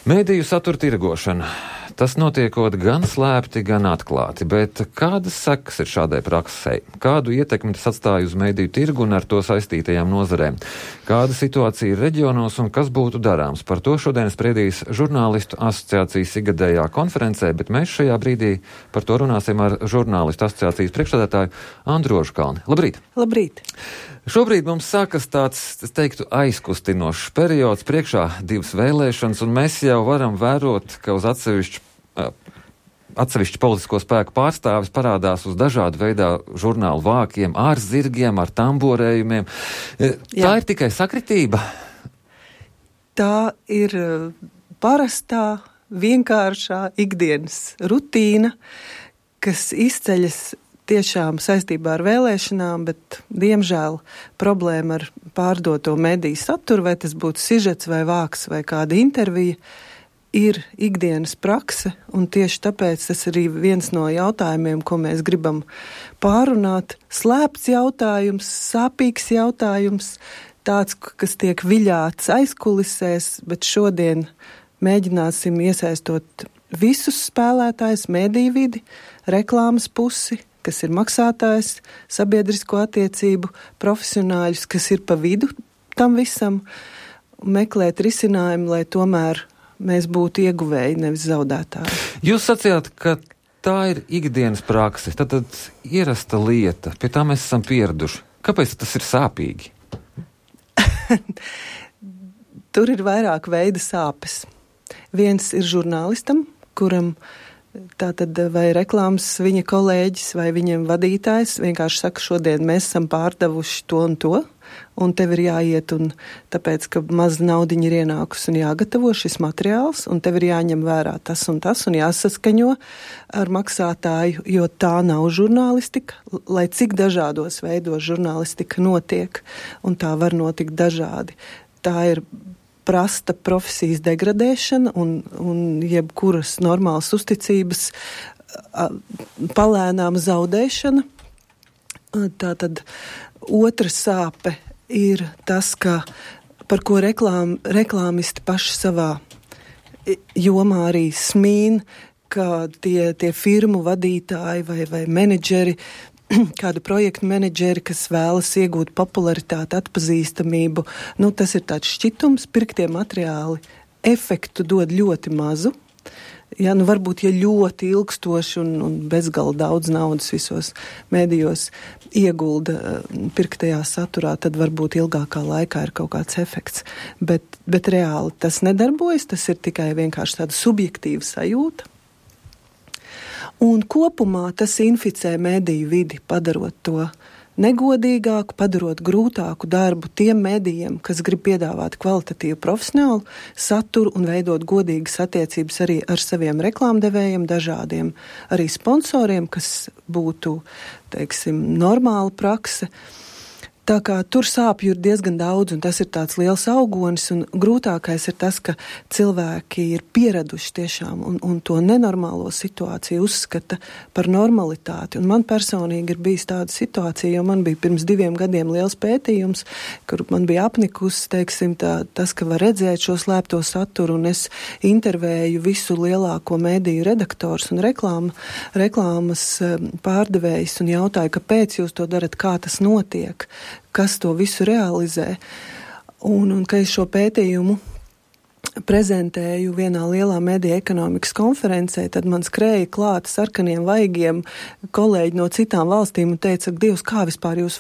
Mediju satura tirgošana. Tas notiekot gan slēpti, gan atklāti, bet kādas sekas ir šādai praksei? Kādu ietekmi tas atstāja uz mediju tirgu un ar to saistītajām nozarēm? Kāda situācija ir reģionos un kas būtu darāms? Par to šodien spriedīs žurnālistu asociācijas ikgadējā konferencē, bet mēs šajā brīdī par to runāsim ar žurnālistu asociācijas priekšsēdētāju Andru Ožkalni. Labrīt! Labrīt! Šobrīd mums sākas tāds, es teiktu, aizkustinošs periods, priekšā 2 vēlēšanas, un mēs jau varam vērot, ka uz atsevišķu politisko spēku pārstāvis parādās uz dažādu veidā žurnālu vākiem, ar zirgiem, ar tamborējumiem. Tā ir tikai sakritība? Tā ir parastā, vienkāršā ikdienas rutīna, kas izceļas tiešām saistībā ar vēlēšanām, bet, diemžēl, problēma ar pārdoto mediju saturu, vai tas būtu sižets vai vāks vai kāda intervija, ir ikdienas prakse, un tieši tāpēc tas arī viens no jautājumiem, ko mēs gribam pārunāt. Slēpts jautājums, sāpīgs jautājums, tāds, kas tiek viļāts aizkulisēs, bet šodien mēģināsim iesaistot visus spēlētājus, mediju vidi, reklāmas pusi, kas ir maksātājs, sabiedrisko attiecību profesionāļus, kas ir pa vidu tam visam, meklēt risinājumu, lai tomēr mēs būtu ieguvēji, nevis zaudētāji. Jūs sacījāt, ka tā ir ikdienas prakse, tad ierasta lieta, pie tā mēs esam pieraduši. Kāpēc tas ir sāpīgi? Tur ir vairāk veida sāpes. Viens ir žurnālistam, kuram tātad vai reklāmas viņa kolēģis vai viņam vadītājs vienkārši saka, šodien mēs esam pārdevuši to un to, un tev ir jāiet, un tāpēc, ka maz naudiņa ir ienākus un jāgatavo šis materiāls, un tev ir jāņem vērā tas un jāsaskaņo ar maksātāju, jo tā nav žurnālistika, lai cik dažādos veidos žurnālistika notiek, un tā var notikt dažādi. Tā ir prasta profesijas degradēšana un jebkuras normālas uzticības palēnām zaudēšana. Tātad otra sāpe ir tas, par ko reklāmisti paši savā jomā arī smīn, ka tie firmu vadītāji vai menedžeri, kādu projektu menedžeri, kas vēlas iegūt popularitāti, atpazīstamību, tas ir tāds šķitums, pirktie materiāli efektu dod ļoti mazu. Ja, varbūt, ja ļoti ilgstoši un bezgala daudz naudas visos mēdījos iegulda pirktajā saturā, tad varbūt ilgākā laikā ir kaut kāds efekts. Bet reāli tas nedarbojas, tas ir tikai vienkārši tāda subjektīva sajūta. Un kopumā tas inficē mediju vidi, padarot to negodīgāku, padarot grūtāku darbu tiem medijiem, kas grib piedāvāt kvalitatīvu profesionālu saturu un veidot godīgas attiecības arī ar saviem reklāmdevējiem, dažādiem arī sponsoriem, kas būtu, teiksim, normāla prakse. Tā kā tur sāpju ir diezgan daudz, un tas ir tāds liels augonis, un grūtākais ir tas, ka cilvēki ir pieraduši tiešām, un to nenormālo situāciju uzskata par normalitāti. Un man personīgi ir bijis tāda situācija, jo man bija pirms 2 gadiem liels pētījums, kur man bija apnikusi, teiksim, tas, ka var redzēt šo slēpto saturu, un es intervēju visu lielāko mediju redaktors un reklāmas pārdevējs, un jautāju, kāpēc jūs to darat, kā tas notiek, kas to visu realizē. Un ka es šo pētījumu prezentēju vienā lielā mediju ekonomikas konferencē, tad man skrēja klāt sarkaniem vaigiem kolēģi no citām valstīm un teica, Dievs, kā jūs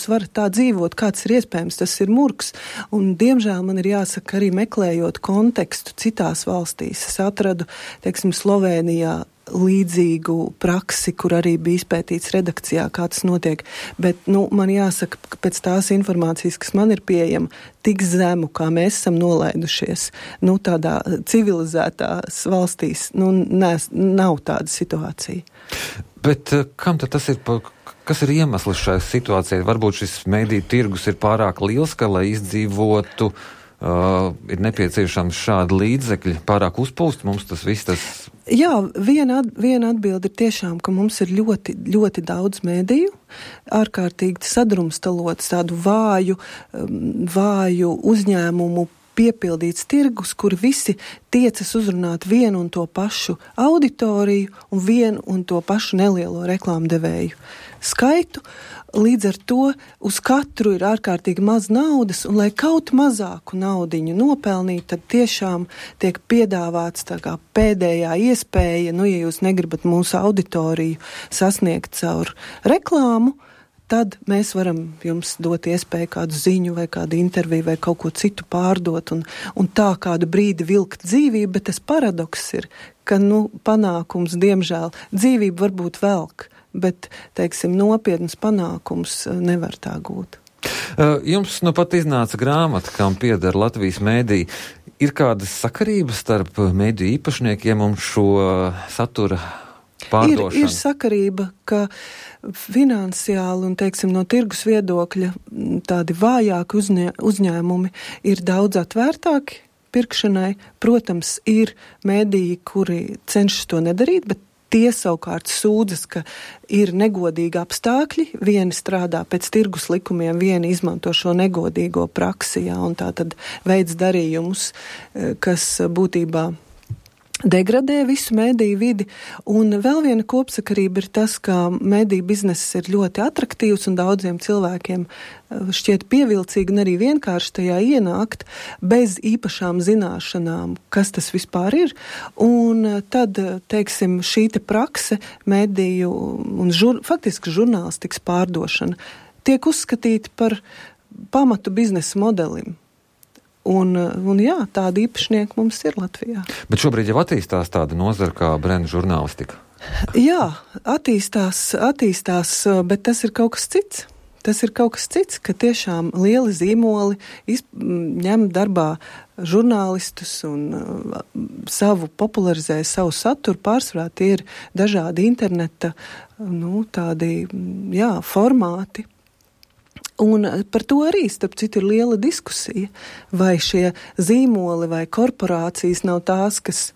varat tā dzīvot, kāds ir iespējams, tas ir murgs. Un, diemžēl, man ir jāsaka, arī meklējot kontekstu citās valstīs. Es atradu, teiksim, Slovēnijā līdzīgu praksi, kur arī bija izpētīts redakcijā, kā tas notiek. Bet, man jāsaka, ka pēc tās informācijas, kas man ir pieejama, tik zemu, kā mēs esam nolaidušies, tādā civilizētās valstīs, nav tāda situācija. Bet kam tad tas ir, kas ir iemesls šai situācijai? Varbūt šis mediju tirgus ir pārāk liels, ka, lai izdzīvotu, ir nepieciešams šādi līdzekļi, pārāk uzpūst mums tas viss. Jā, viena atbilde ir tiešām, ka mums ir ļoti, ļoti daudz mediju, ārkārtīgi sadrumstalots, tādu vāju uzņēmumu piepildīts tirgus, kur visi tiecas uzrunāt vienu un to pašu auditoriju un vienu un to pašu nelielo reklāmdevēju skaitu. Līdz ar to uz katru ir ārkārtīgi maz naudas, un lai kaut mazāku naudiņu nopelnīt, tad tiešām tiek piedāvāts tā kā pēdējā iespēja, ja jūs negribat mūsu auditoriju sasniegt caur reklāmu, tad mēs varam jums dot iespēju kādu ziņu vai kādu interviju vai kaut ko citu pārdot un tā kādu brīdi vilkt dzīvību, bet tas paradoks ir, ka, panākums, diemžēl, dzīvība varbūt velk, bet, teiksim, nopietnas panākums nevar tā gūt. Jums pat iznāca grāmata, kam pieder Latvijas mēdī. Ir kādas sakarības starp mēdīju īpašniekiem un šo satura pārdošanu? Ir sakarība, ka finansiāli un, teiksim, no tirgus viedokļa tādi vājāki uzņēmumi ir daudz atvērtāki pirkšanai. Protams, ir mēdīji, kuri cenšas to nedarīt, bet tie savukārt sūdzas, ka ir negodīgi apstākļi, vieni strādā pēc tirgus likumiem, vieni izmanto šo negodīgo praksi, un tā tad veids darījumus, kas būtībā degradē visu mēdīju vidi. Un vēl viena kopsakarība ir tas, ka mēdīju bizness ir ļoti atraktīvs un daudziem cilvēkiem šķiet pievilcīgi un arī vienkārši tajā ienākt bez īpašām zināšanām, kas tas vispār ir. Un tad, teiksim, šī te prakse mēdīju un faktiski žurnālistikas pārdošana tiek uzskatīta par pamatu biznesa modelim. Un jā, tādi īpašnieki mums ir Latvijā. Bet šobrīd jau attīstās tāda nozara kā brendu žurnālistika. Jā, attīstās, bet tas ir kaut kas cits. Tas ir kaut kas cits, ka tiešām lieli zīmoli ņem darbā žurnālistus un popularizē savu saturu. Pārsvarā tie ir dažādi interneta, tādi, formāti. Un par to arī, starp citu, ir liela diskusija, vai šie zīmoli vai korporācijas nav tās, kas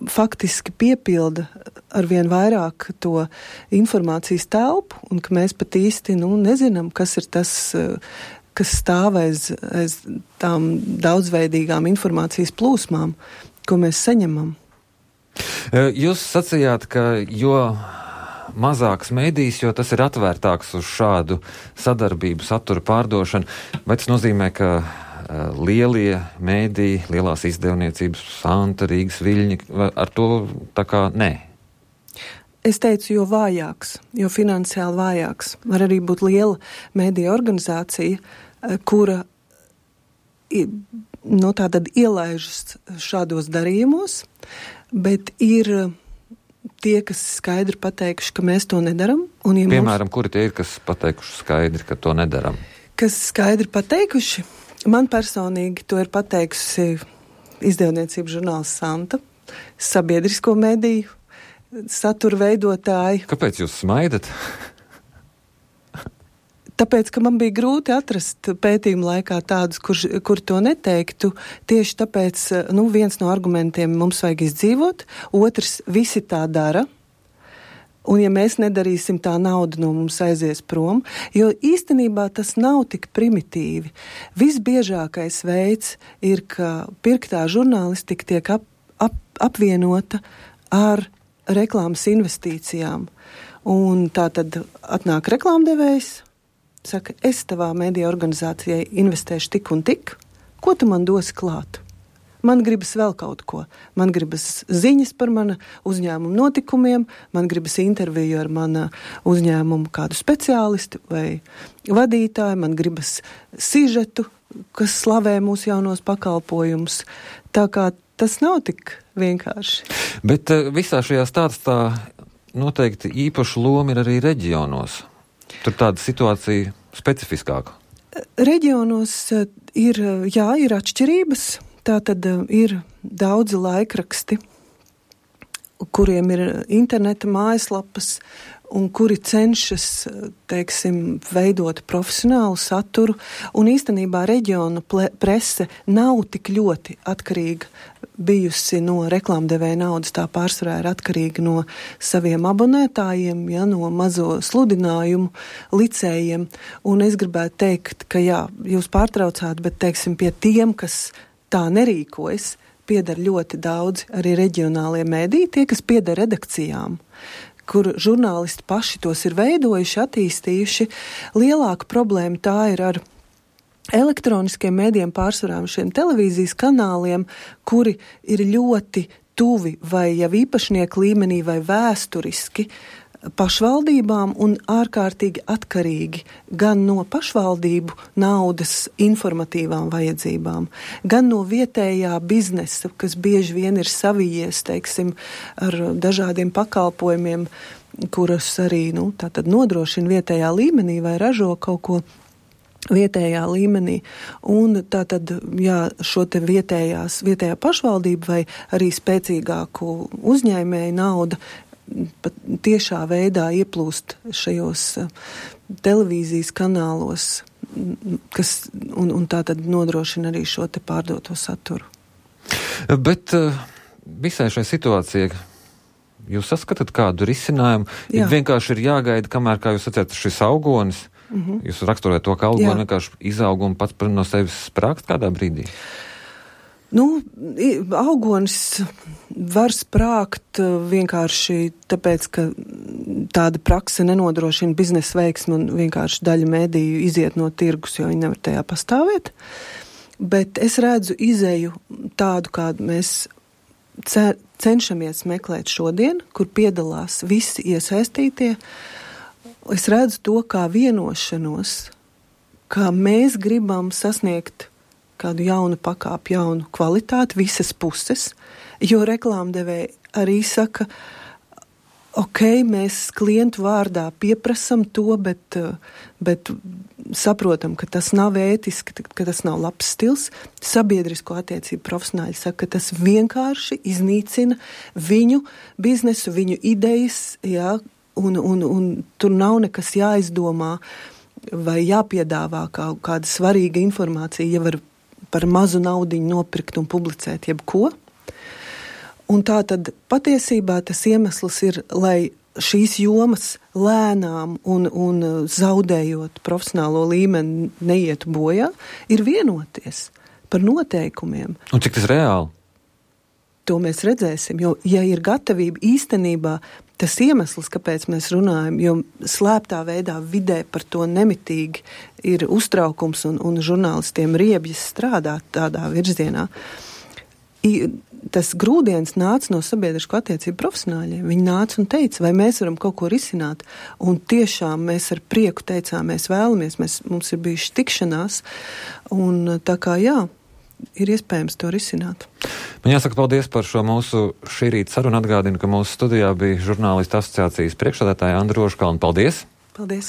faktiski piepilda arvien vairāk to informācijas telpu, un ka mēs pat īsti nezinām, kas ir tas, kas stāv aiz tām daudzveidīgām informācijas plūsmām, ko mēs saņemam. Jūs sacījāt, ka mazāks mēdījis, jo tas ir atvērtāks uz šādu sadarbību, satura pārdošanu. Vai tas nozīmē, ka lielie mēdīji, lielās izdevniecības, Santa, Rīgas, Viļņi, ar to tā kā nē? Es teicu, jo vājāks, jo finansiāli vājāks. Var arī būt liela mēdīja organizācija, kura tātad ielaižas šādos darījumos, bet ir tie, kas skaidri pateikuši, ka mēs to nedaram. Piemēram, kuri tie ir, kas pateikuši skaidri, ka to nedaram? Kas skaidri pateikuši? Man personīgi to ir pateikusi izdevniecības žurnāls Santa, sabiedrisko mediju satura veidotāji. Kāpēc jūs smaidat? Tāpēc, ka man bija grūti atrast pētījuma laikā tādus, kur to neteiktu. Tieši tāpēc, viens no argumentiem mums vajag izdzīvot, otrs visi tā dara. Un ja mēs nedarīsim, tā nauda no mums aizies prom, jo īstenībā tas nav tik primitīvi. Visbiežākais veids ir, ka pirktā žurnālistika tiek apvienota ar reklāmas investīcijām. Un tā tad atnāk reklāmdevējs, saka, es tavā mēdīja organizācijai investēšu tik un tik, ko tu man dosi klāt? Man gribas vēl kaut ko. Man gribas ziņas par mana uzņēmuma notikumiem, man gribas interviju ar mana uzņēmuma kādu speciālistu vai vadītāju, man gribas sižetu, kas slavē mūsu jaunos pakalpojumus. Tā kā tas nav tik vienkārši. Bet visā šajā stāstā noteikti īpašu lomu ir arī reģionos. Tur tāda situācija specifiskāka. Reģionos ir atšķirības. Tātad ir daudzi laikraksti, kuriem ir interneta mājaslapas un kuri cenšas, veidot profesionālu saturu. Un īstenībā reģiona prese nav tik ļoti atkarīga bijusi no reklāmdevēja naudas, tā pārsvarā ir atkarīga no saviem abonētājiem, no mazo sludinājumu licējiem. Un es gribētu teikt, ka jūs pārtraucāt, bet, pie tiem, kas tā nerīkojas, pieder ļoti daudz arī reģionālie mēdī, tie, kas pieder redakcijām, kur žurnālisti paši tos ir veidojuši, attīstījuši. Lielāka problēma tā ir ar elektroniskiem mēdiem, pārsvarām šiem televīzijas kanāliem, kuri ir ļoti tuvi vai jau īpašnieku līmenī vai vēsturiski pašvaldībām un ārkārtīgi atkarīgi gan no pašvaldību naudas informatīvām vajadzībām, gan no vietējā biznesa, kas bieži vien ir savijies, teiksim, ar dažādiem pakalpojumiem, kurus arī, tātad nodrošina vietējā līmenī vai ražo kaut ko vietējā līmenī. Un tātad, šo te vietējā pašvaldība vai arī spēcīgāku uzņēmēju nauda pat tiešā veidā ieplūst šajos televīzijas kanālos, kas un tātad nodrošina arī šo te pārdoto saturu. Bet visai šai situācijai jūs saskatāt kādu risinājumu? Ja vienkārši ir jāgaida, kamēr, kā jūs sacījāt, šis augonis, jūs raksturojat to, ka augoni vienkārši izaug un pats no sevis sprākst kādā brīdī? Augonis var sprākt vienkārši tāpēc, ka tāda prakse nenodrošina biznesa veiksmi un vienkārši daļa mēdīju iziet no tirgus, jo viņi nevar tajā pastāvēt. Bet es redzu izeju tādu, kādu mēs cenšamies meklēt šodien, kur piedalās visi iesaistītie. Es redzu to kā vienošanos, kā mēs gribam sasniegt kādu jaunu pakāpi, jaunu kvalitāti, visas puses, jo reklāmdevēji arī saka, mēs klientu vārdā pieprasam to, bet saprotam, ka tas nav ētiski, ka tas nav labs stils. Sabiedrisko attiecību profesionāļi saka, ka tas vienkārši iznīcina viņu biznesu, viņu idejas, un tur nav nekas jāizdomā vai jāpiedāvā kāda svarīga informācija, ja var par mazu naudiņu nopirkt un publicēt jebko. Un tā tad patiesībā tas iemesls ir, lai šīs jomas lēnām un zaudējot profesionālo līmeni neietu bojā, ir vienoties par noteikumiem. Un cik tas reāli? To mēs redzēsim, jo, ja ir gatavība īstenībā, tas iemesls, kāpēc mēs runājam, jo slēptā veidā vidē par to nemitīgi ir uztraukums un žurnālistiem riebjas strādāt tādā virzienā. Tas grūdienis nāca no sabiedrisko attiecību profesionāļiem. Viņi nāca un teica, vai mēs varam kaut ko risināt. Un tiešām mēs ar prieku teicām, mēs vēlamies, mums ir bijuši tikšanās. Un tā kā ir iespējams to risināt. Man jāsaka paldies par šo mūsu šī rīta sarunu. Atgādinu, ka mūsu studijā bija žurnālistu asociācijas priekšsēdētāja Andra Ožkalna. Paldies! Paldies!